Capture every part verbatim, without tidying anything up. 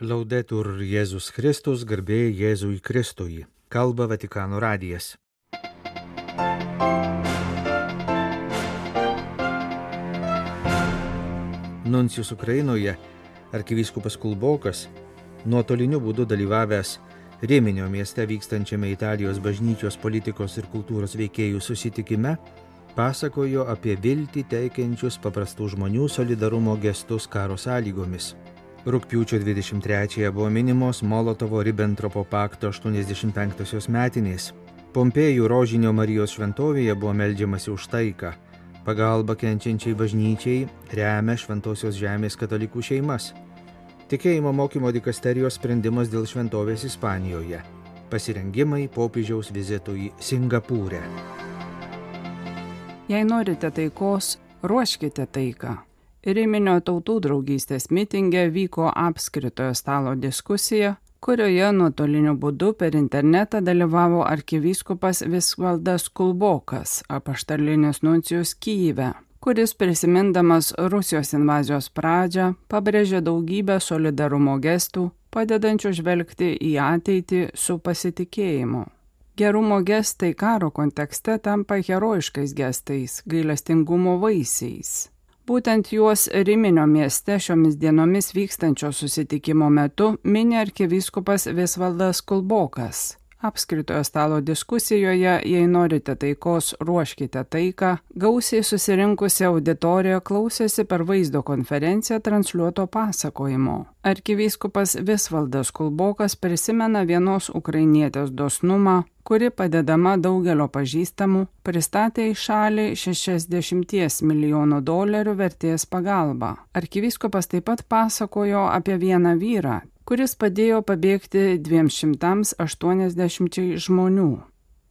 Laudetur Jėzus Kristus, garbė Jėzui Kristui. Kalba Vatikano radijas. Nuncijus Ukrainoje, arkivyskupas Kulbokas, nuotoliniu būdu dalyvavęs Riminio mieste vykstančiame Italijos bažnyčios politikos ir kultūros veikėjų susitikime, pasakojo apie viltį teikiančius paprastų žmonių solidarumo gestus karo sąlygomis. Rugpjūčio dvidešimt trečiąją buvo minimos Molotovo-Ribentropo pakto aštuoniasdešimt penktosios metinės. Pompėjų Rožinio Marijos šventovėje buvo meldžiamasi už taiką. Pagalba kenčiančiai bažnyčiai remia Šventosios žemės katalikų šeimas. Tikėjimo mokymo dikasterijos sprendimas dėl šventovės Ispanijoje. Pasirengimai popiežiaus vizitui Singapūre. Jei norite taikos, ruoškite taiką. Riminio tautų draugystės mitinge vyko apskritojo stalo diskusija, kurioje nuotoliniu būdu per internetą dalyvavo arkivyskupas Visvaldas Kulbokas, apaštalinis nuncijus Kyjive, kuris prisimindamas Rusijos invazijos pradžią pabrėžė daugybę solidarumo gestų, padedančių žvelgti į ateitį su pasitikėjimu. Gerumo gestai karo kontekste tampa herojiškais gestais, gailestingumo vaisiais. Būtent juos Riminio mieste šiomis dienomis vykstančio susitikimo metu mini arkivyskupas Visvaldas Kulbokas. Apskritojo stalo diskusijoje, jei norite taikos, ruoškite taiką, gausiai susirinkusi auditorija klausėsi per vaizdo konferenciją transliuoto pasakojimo. Arkivyskupas Visvaldas Kulbokas prisimena vienos ukrainietės dosnumą, kuri padedama daugelio pažįstamų pristatė į šalį šešiasdešimt milijonų dolerių vertės pagalbą. Arkivyskupas taip pat pasakojo apie vieną vyrą, kuris padėjo pabėgti dviems šimtams aštuoniasdešimčiai žmonių.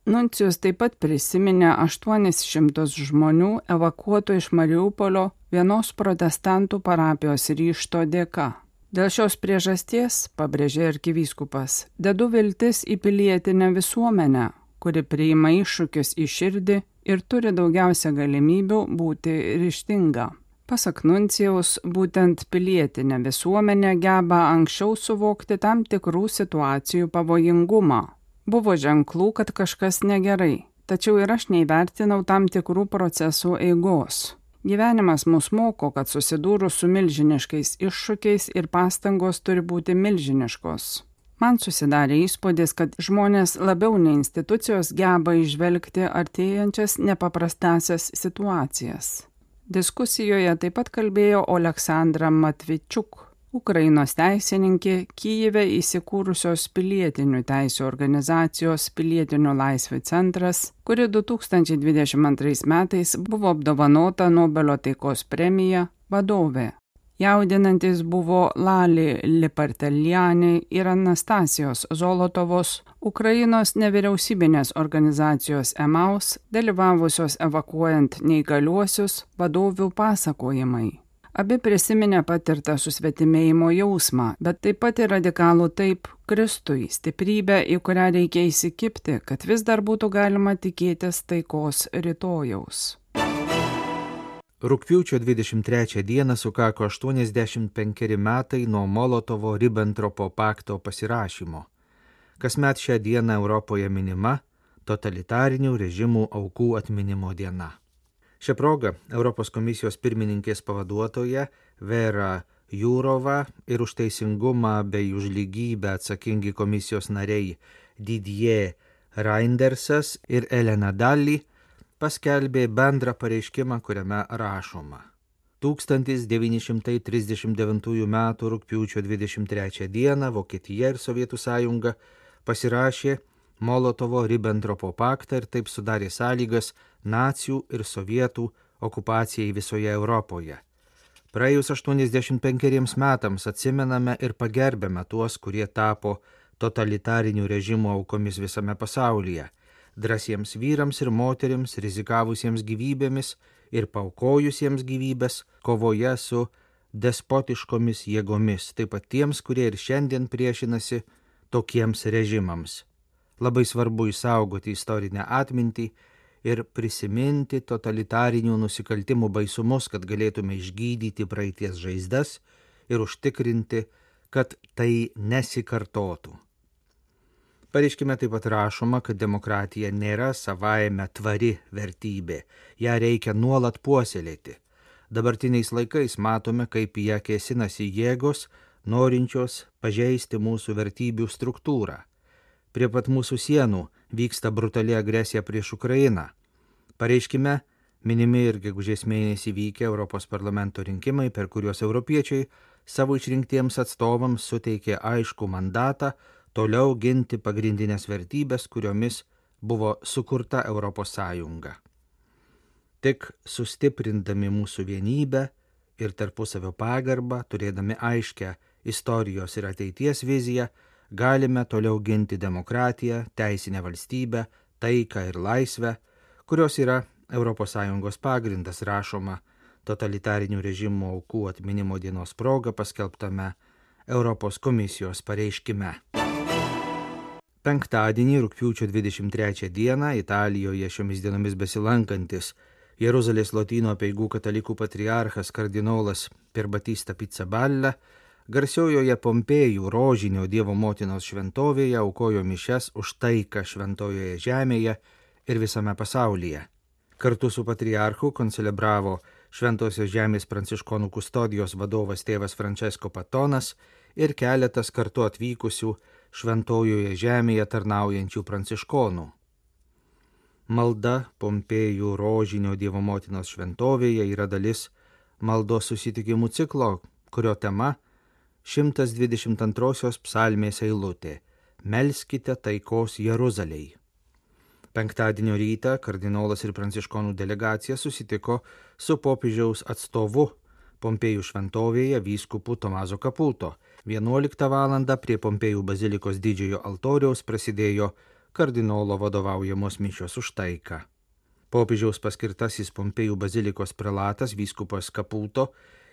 Nuncijus taip pat prisiminė aštuonis šimtus žmonių evakuotų iš Mariupolio vienos protestantų parapijos ryžto dėka. Dėl šios priežasties, pabrėžė arkivyskupas, dedu viltis į pilietinę visuomenę, kuri priima iššūkius į širdį ir turi daugiausia galimybių būti ryžtinga. Pasak nuncijaus, būtent pilietinė visuomenė geba anksčiau suvokti tam tikrų situacijų pavojingumą. Buvo ženklų, kad kažkas negerai, tačiau ir aš neįvertinau tam tikrų procesų eigos. Gyvenimas mus moko, kad susidūrus su milžiniškais iššūkiais ir pastangos turi būti milžiniškos. Man susidarė įspūdis, kad žmonės labiau nei institucijos geba įžvelgti artėjančias nepaprastasias situacijas. Diskusijoje taip pat kalbėjo Oleksandra Matvičiuk, Ukrainos teisininkė, Kyjive įsikūrusios pilietinių teisių organizacijos Pilietinių laisvių centras, kuri du tūkstančiai dvidešimt antrais metais buvo apdovanota Nobelio taikos premija vadovė. Jaudinantis buvo Lali Liparteliani ir Anastasijos Zolotovos, Ukrainos nevyriausybinės organizacijos Emaus, dalyvavusios evakuojant neįgaliuosius vadovių pasakojimai. Abi prisiminė patirtą susvetimėjimo jausmą, bet taip pat ir radikalų taip Kristui, stiprybę, į kurią reikia įsikibti, kad vis dar būtų galima tikėtis taikos rytojaus. Rugpjūčio dvidešimt trečią dieną sukako aštuoniasdešimt penkeri metai nuo Molotovo-Ribentropo pakto pasirašymo. Kasmet šią dieną Europoje minima totalitarinių režimų aukų atminimo diena. Šią progą Europos komisijos pirmininkės pavaduotoja Vera Jūrova ir už teisingumą bei už lygybę atsakingi komisijos nariai Didier Reindersas ir Elena Dalli paskelbė bendrą pareiškimą, kuriame rašoma. tūkstantis devyni šimtai trisdešimt devintųjų metų rugpjūčio dvidešimt trečią dieną Vokietija ir Sovietų sąjunga pasirašė Molotovo-Ribentropo paktą ir taip sudarė sąlygas nacių ir sovietų okupacijai visoje Europoje. Praėjus aštuoniasdešimt penkeriems metams atsimename ir pagerbėme tuos, kurie tapo totalitarinių režimų aukomis visame pasaulyje, drąsiems vyrams ir moterims, rizikavusiems gyvybėmis ir paaukojusiems gyvybės kovoje su despotiškomis jėgomis, taip pat tiems, kurie ir šiandien priešinasi tokiems režimams. Labai svarbu išsaugoti istorinę atmintį ir prisiminti totalitarinių nusikaltimų baisumus, kad galėtume išgydyti praeities žaizdas ir užtikrinti, kad tai nesikartotų. Pareiškime taip pat rašoma, kad demokratija nėra savaime tvari vertybė, ją reikia nuolat puoselėti. Dabartiniais laikais matome, kaip į ją kėsinasi jėgos, norinčios pažeisti mūsų vertybių struktūrą. Prie pat mūsų sienų vyksta brutali agresija prieš Ukrainą. Pareiškime, minimi ir gegužės mėnesį vykę Europos parlamento rinkimai, per kuriuos europiečiai savo išrinktiems atstovams suteikė aiškų mandatą toliau ginti pagrindinės vertybės, kuriomis buvo sukurta Europos Sąjunga. Tik sustiprindami mūsų vienybę ir tarpusavio pagarbą, turėdami aiškę istorijos ir ateities viziją, galime toliau ginti demokratiją, teisinę valstybę, taiką ir laisvę, kurios yra Europos Sąjungos pagrindas, rašoma totalitarinių režimų aukų atminimo dienos proga paskelbtame Europos komisijos pareiškime. Penktadienį, rugpjūčio dvidešimt trečią dieną, Italijoje šiomis dienomis besilankantis Jeruzalės Lotynų apeigų katalikų patriarchas kardinolas Pierbattista Pizzaballa garsiojoje Pompėjų rožinio Dievo motinos šventovėje aukojo mišias už taiką šventojoje žemėje ir visame pasaulyje. Kartu su patriarchu koncelebravo Šventosios žemės pranciškonų kustodijos vadovas tėvas Francesco Patonas ir keletas kartu atvykusių šventojoje žemėje tarnaujančių pranciškonų. Malda Pompėjų rožinio Dievo motinos šventovėje yra dalis maldos susitikimų ciklo, kurio tema šimtas dvidešimt antrosios psalmės eilutė Melskite taikos Jeruzalei. Penktadienio rytą kardinolas ir pranciškonų delegacija susitiko su popiežiaus atstovu Pompėjų šventovėje vyskupu Tomaso Caputo. vienuoliktą valandą prie Pompėjų bazilikos didžiojo altoriaus prasidėjo kardinolo vadovaujamos mišios už taiką. Popiežiaus paskirtasis Pompėjų bazilikos prelatas vyskupas Caputo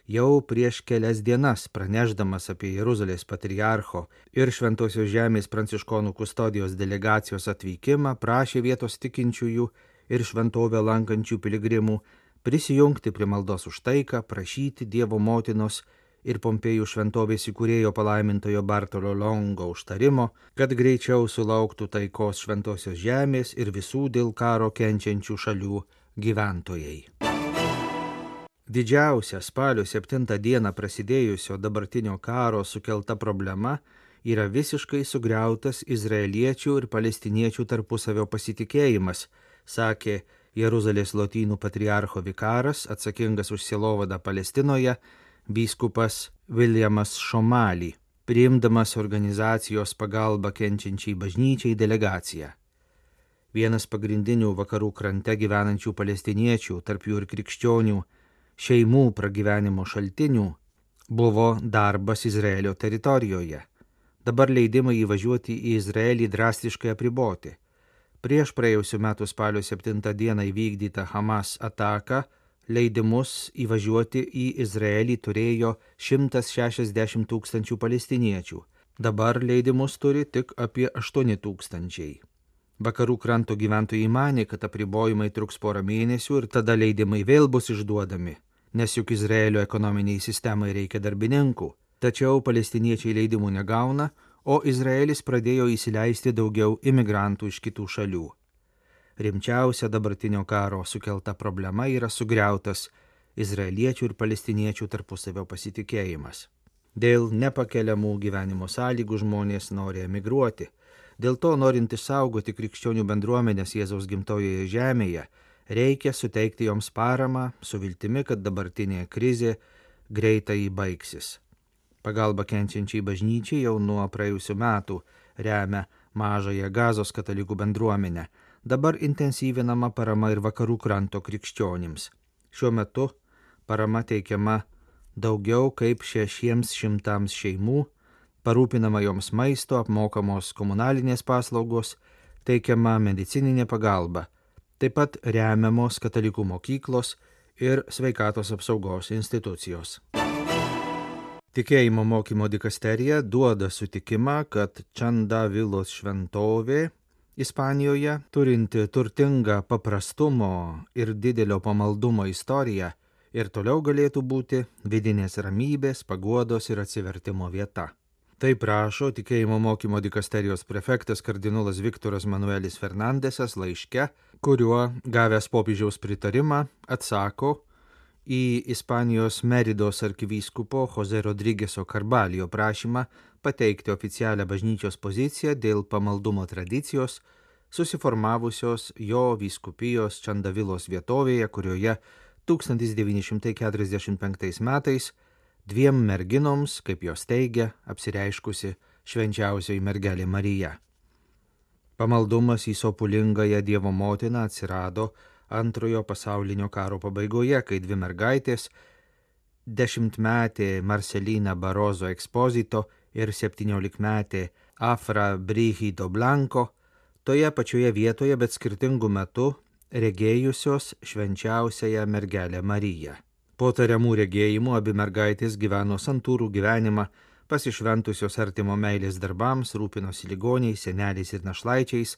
jau prieš kelias dienas pranešdamas apie Jeruzalės patriarcho ir Šventosios žemės pranciškonų kustodijos delegacijos atvykimą prašė vietos tikinčiųjų ir šventovę lankančių piligrimų prisijungti prie maldos už taiką, prašyti Dievo motinos ir Pompėjų šventovės įkūrėjo palaimintojo Bartolo Longo užtarimo, kad greičiau sulauktų taikos Šventosios žemės ir visų dėl karo kenčiančių šalių gyventojai. Didžiausia spalio septintą dieną prasidėjusio dabartinio karo sukelta problema yra visiškai sugriautas izraeliečių ir palestiniečių tarpusavio pasitikėjimas, sakė Jeruzalės Lotynų patriarcho vikaras, atsakingas už sielovadą Palestinoje, vyskupas Williamas Šomali, priimdamas organizacijos pagalbą kenčiančiai bažnyčiai delegaciją. Vienas pagrindinių vakarų krante gyvenančių palestiniečių, tarp jų ir krikščionių, šeimų pragyvenimo šaltinių buvo darbas Izraelio teritorijoje. Dabar leidimai įvažiuoti į Izraelį drastiškai apriboti. Prieš praėjusių metų spalio septintą dieną įvykdytą Hamas ataką leidimus įvažiuoti į Izraelį turėjo šimtas šešiasdešimt tūkstančių palestiniečių. Dabar leidimus turi tik apie aštuoni tūkstančiai. Vakarų kranto gyventojai manė, kad apribojimai truks porą mėnesių ir tada leidimai vėl bus išduodami, nes juk Izraelio ekonominiai sistemai reikia darbininkų. Tačiau palestiniečiai leidimų negauna, o Izraelis pradėjo įsileisti daugiau imigrantų iš kitų šalių. Rimčiausia dabartinio karo sukelta problema yra sugriautas izraeliečių ir palestiniečių tarpusavio pasitikėjimas. Dėl nepakeliamų gyvenimo sąlygų žmonės nori emigruoti. Dėl to, norint išsaugoti krikščionių bendruomenės Jėzaus gimtojoje žemėje, reikia suteikti joms paramą su viltimi, kad dabartinė krizė greitai baigsis. Pagalba kenčiančiai bažnyčiai jau nuo praėjusių metų remia mažąją Gazos katalikų bendruomenę. Dabar intensyvinama parama ir vakarų kranto krikščionims. Šiuo metu parama teikiama daugiau kaip šešiems šimtams šeimų, parūpinama joms maisto, apmokamos komunalinės paslaugos, teikiama medicininė pagalba, taip pat remiamos katalikų mokyklos ir sveikatos apsaugos institucijos. Tikėjimo mokymo dikasterija duoda sutikimą, kad Čanda Vilos šventovė Ispanijoje, turinti turtingą paprastumo ir didelio pamaldumo istoriją, ir toliau galėtų būti vidinės ramybės, paguodos ir atsivertimo vieta. Taip rašo tikėjimo mokymo dikasterijos prefektas kardinolas Viktoras Manuelis Fernandesas laiške, kuriuo gavęs popiežiaus pritarimą atsako į Ispanijos Meridos arkivyskupo Jose Rodrigeso Carbalio prašymą pateikti oficialią bažnyčios poziciją dėl pamaldumo tradicijos, susiformavusios jo vyskupijos Čandavilos vietovėje, kurioje tūkstantis devyni šimtai keturiasdešimt penktais metais dviem merginoms, kaip jos teigia, apsireiškusi švenčiausioji mergelė Marija. Pamaldumas į sopulingąją Dievo motiną atsirado Antrojo pasaulinio karo pabaigoje, kai dvi mergaitės, dešimtmetė Marcelina Barozo Exposito ir septyniolikmetė Afra Brigido Blanco, toje pačioje vietoje, bet skirtingų metų regėjusios švenčiausiąją mergelę Mariją. Po tariamų regėjimų abi mergaitės gyveno santūrų gyvenimą, pasišventusios artimo meilės darbams, rūpinosi ligoniais, seneliais ir našlaičiais,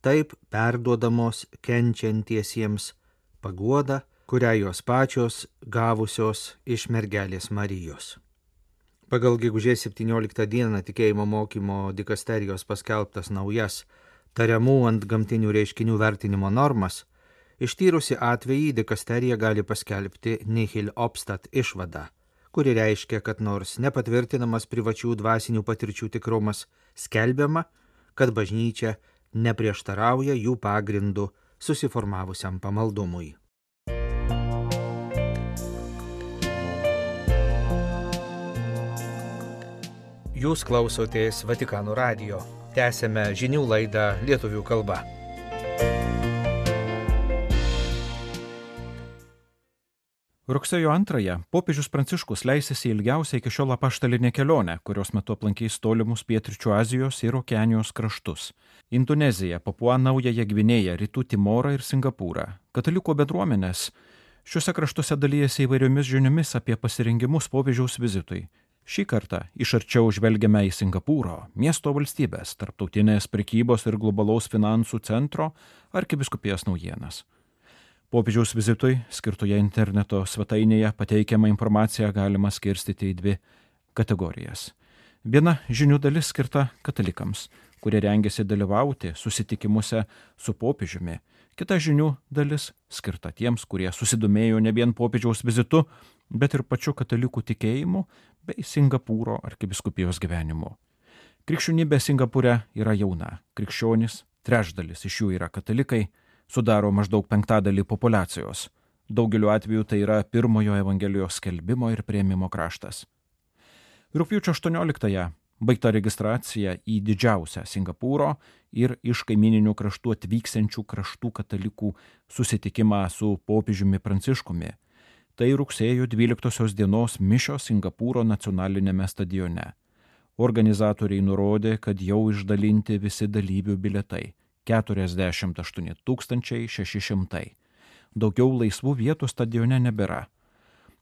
taip perduodamos kenčiantiesiems paguodą, kurią jos pačios gavusios iš mergelės Marijos. Pagal gegužės septynioliktą dieną tikėjimo mokymo dikasterijos paskelbtas naujas tariamų ant gamtinių reiškinių vertinimo normas, ištyrusi atvejį dikasterija gali paskelbti nihil obstat išvadą, kuri reiškia, kad nors nepatvirtinamas privačių dvasinių patirčių tikrumas, skelbiama, kad bažnyčia neprieštarauja jų pagrindų susiformavusiam pamaldumui. Jūs klausotės Vatikano radijo. Tęsėme žinių laidą lietuvių kalba. Rugsėjo antrąją popiežius Pranciškus leisėsi į ilgiausią iki šiol apaštalinę kelionę, kurios metu aplankys tolimus pietryčių Azijos ir Okeanijos kraštus – Indoneziją, Papua Naująją Gvinėją, Rytų Timorą ir Singapūrą. Katalikų bendruomenės šiuose kraštuose dalyjasi įvairiomis žiniomis apie pasirengimus popiežiaus vizitui. Šį kartą iš arčiau žvelgiame į Singapūro, miesto valstybės, tarptautinės prekybos ir globalaus finansų centro arkivyskupijos naujienas. Popiežiaus vizitui skirtoje interneto svetainėje pateikiamą informaciją galima skirstyti į dvi kategorijas. Viena žinių dalis skirta katalikams, kurie rengiasi dalyvauti susitikimuose su popiežiumi. Kita žinių dalis skirta tiems, kurie susidomėjo ne vien popiežiaus vizitu, bet ir pačiu katalikų tikėjimu bei Singapūro arkivyskupijos gyvenimu. Krikščionybė Singapūre yra jauna. Krikščionys, trečdalis iš jų yra katalikai, sudaro maždaug penktadalį populacijos. Daugeliu atveju tai yra pirmojo evangelijos skelbimo ir priėmimo kraštas. Rugpjūčio aštuonioliktąją baigta registracija į didžiausią Singapūro ir iš kaimininių kraštų atvyksiančių kraštų katalikų susitikimą su popiežiumi Pranciškumi. Tai rugsėjo dvyliktosios dienos mišios Singapūro nacionalinėme stadione. Organizatoriai nurodė, kad jau išdalinti visi dalyvių bilietai. keturiasdešimt aštuoni tūkstančiai šeši šimtai. Daugiau laisvų vietų stadione nebėra.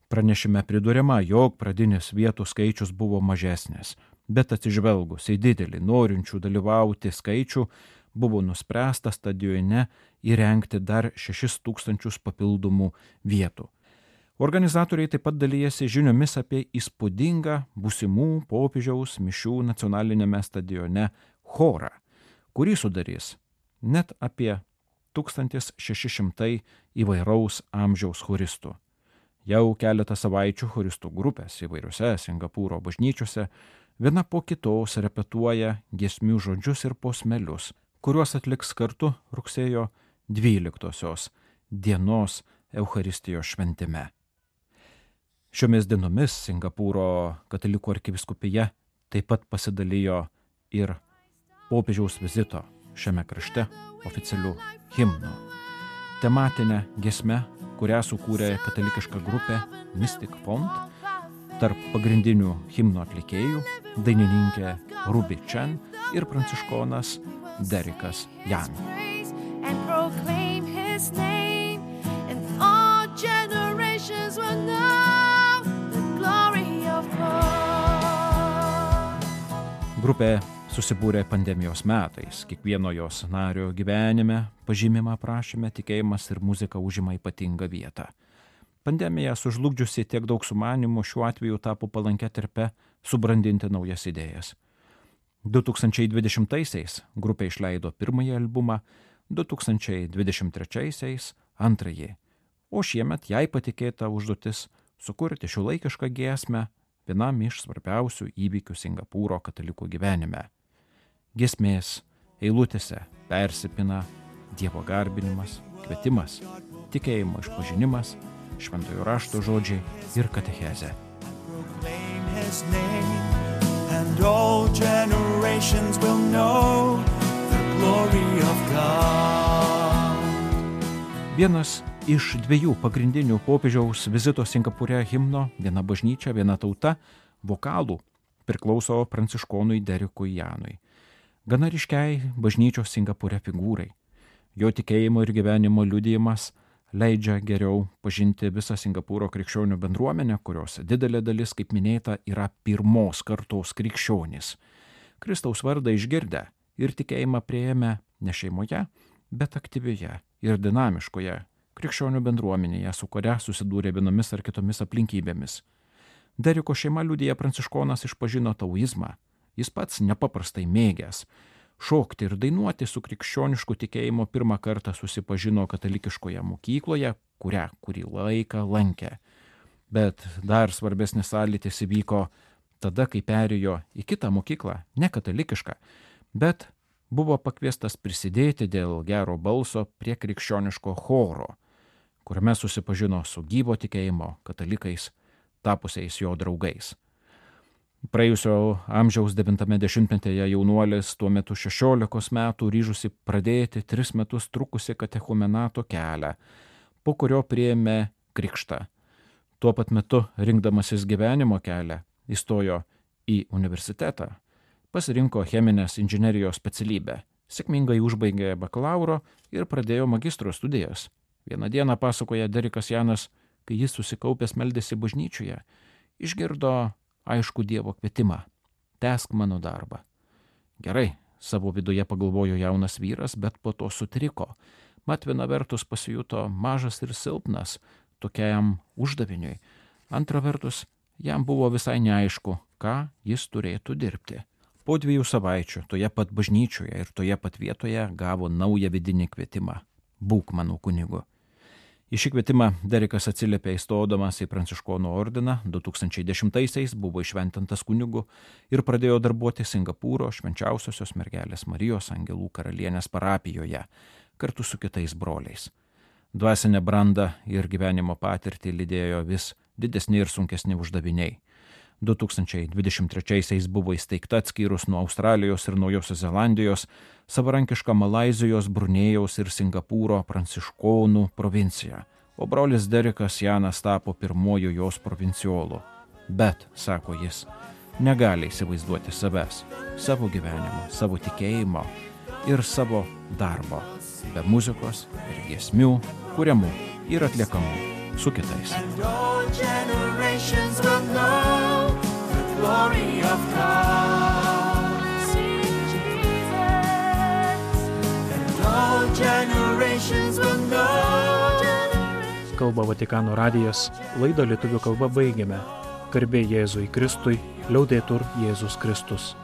Pranešime priduriama, jog pradinis vietų skaičius buvo mažesnis, bet atsižvelgus į didelį norinčių dalyvauti skaičių, buvo nuspręsta stadione įrengti dar šešis tūkstančius papildomų vietų. Organizatoriai taip pat dalyjasi žiniomis apie įspūdingą būsimų popiežiaus mišių nacionalinėme stadione chorą, kurį sudarys net apie tūkstantis šeši šimtai įvairaus amžiaus choristų. Jau keletą savaičių choristų grupės įvairiose Singapūro bažnyčiose viena po kitos repetuoja giesmių žodžius ir posmelius, kuriuos atliks kartu rugsėjo dvyliktosios dienos Eucharistijos šventime. Šiomis dienomis Singapūro katalikų arkivyskupija taip pat pasidalijo ir popiežiaus vizito šiame krašte oficialių himnų. Tematinę giesmę, kurią sukūrė katalikiška grupė Mystic Font, tarp pagrindinių himno atlikėjų dainininkė Ruby Chen ir pranciškonas Derekas Jan. Grupė susibūrė pandemijos metais. Kiekvieno jos nario gyvenime, pažymima aprašyme, tikėjimas ir muzika užima ypatingą vietą. Pandemija sužlugdžiusi tiek daug sumanimų šiuo atveju tapo palankia terpe subrandinti naujas idėjas. du tūkstančiai dvidešimtaisiais grupė išleido pirmąjį albumą, du tūkstančiai dvidešimt trečiaisiais antrąjį, o šiemet jai patikėta užduotis sukurti šiuolaikišką giesmę vienam iš svarbiausių įvykių Singapūro katalikų gyvenime. Giesmės eilutėse persipina Dievo garbinimas, kvietimas, tikėjimo išpažinimas, šventojo rašto žodžiai ir katechezė. And all generations will know the glory of God. Vienas iš dviejų pagrindinių popiežiaus vizito Singapūre himno, viena bažnyčia, viena tauta, vokalų, priklauso pranciškonui Derikui Janui. Gana ryškiai bažnyčios Singapūre figūrai. Jo tikėjimo ir gyvenimo liudijimas leidžia geriau pažinti visą Singapūro krikščionių bendruomenę, kurios didelė dalis, kaip minėta, yra pirmos kartos krikščionys. Kristaus vardą išgirdę ir tikėjimą priėmę ne šeimoje, bet aktyvioje ir dinamiškoje krikščionių bendruomenėje, su kuria susidūrė vienomis ar kitomis aplinkybėmis. Deriko šeima liudija pranciškonas išpažino taoizmą. Jis pats nepaprastai mėgęs šokti ir dainuoti su krikščionišku tikėjimu pirmą kartą susipažino katalikiškoje mokykloje, kurią kurį laiką lankė. Bet dar svarbesnis sąlytis įvyko tada, kai perėjo į kitą mokyklą, ne katalikišką, bet buvo pakviestas prisidėti dėl gero balso prie krikščioniško choro, kuriame susipažino su gyvo tikėjimo katalikais, tapusiais jo draugais. Praėjusio amžiaus devintame dešimtmetyje jaunuolis tuo metu šešiolikos metų ryžusi pradėti tris metus trukusi katechumenato kelią, po kurio priėmė krikštą. Tuo pat metu, rinkdamasis gyvenimo kelią, įstojo į universitetą, pasirinko cheminės inžinerijos specialybę, sėkmingai užbaigė bakalauro ir pradėjo magistro studijas. Vieną dieną, pasakoja Derikas Janas, kai jis susikaupęs meldėsi bažnyčioje, išgirdo aišku Dievo kvietimą – tęsk mano darbą. Gerai, savo viduje pagalvojo jaunas vyras, bet po to sutriko. Mat viena vertus pasijuto mažas ir silpnas tokiam uždaviniui. Antra vertus, jam buvo visai neaišku, ką jis turėtų dirbti. Po dviejų savaičių toje pat bažnyčioje ir toje pat vietoje gavo naują vidinį kvietimą – būk mano kunigu. Į šį kvietimą Derikas atsiliepė įstodamas į pranciškonų ordiną, du tūkstančiai dešimtaisiais buvo išventintas kunigu ir pradėjo darbuoti Singapūro Švenčiausiosios mergelės Marijos Angelų karalienės parapijoje kartu su kitais broliais. Dvasinę brandą ir gyvenimo patirtį lydėjo vis didesni ir sunkesni uždaviniai. du tūkstančiai dvidešimt trečiaisiais buvo įsteigta atskyrus nuo Australijos ir Naujosios Zelandijos savarankiška Malaizijos, Brunėjaus ir Singapūro pranciškonų provincija, o brolis Derikas Janas tapo pirmoju jos provinciolu. Bet, sako jis, negali įsivaizduoti savęs, savo gyvenimo, savo tikėjimo ir savo darbo, be muzikos ir giesmių, kuriamų ir atliekamų su kitais. Glory of God, sing Jesus, and all generations will know. Kalba Vatikano radijas, laidą lietuvių kalba baigiame. Garbė Jėzui Kristui, liaudetur Jėzus Kristus.